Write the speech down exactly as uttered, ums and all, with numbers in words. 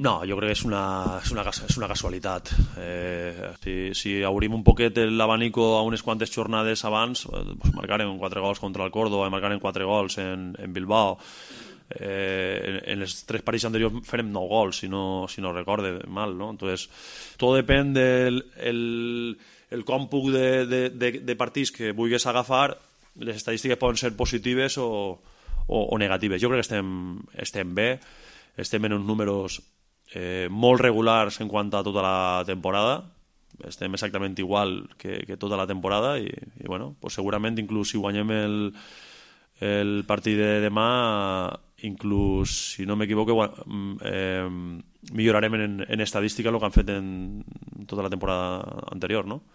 No, jo crec que és una, és una, és una casualitat. Eh, si, si obrim un poquet l'abanico a unes quantes jornades abans, pues marcarem quatre gols contra el Córdoba i marcarem quatre gols en, en Bilbao. Eh, en, en les tres partits anteriors farem nou gols, si no, si no recorde mal, ¿no? Entonces, todo depèn del el, el còmput de, de, de, de partits que vulguis agafar. Les estadístiques poden ser positives o, o, o negatives. Jo crec que estem, estem bé, estem en uns números eh, molt regulars en quant a tota la temporada, estem exactament igual que, que tota la temporada i, i bueno, pues segurament inclús si guanyem el, el partit de demà, inclús si no m'equivoco eh, millorarem en, en estadística el que han fet en tota la temporada anterior, no?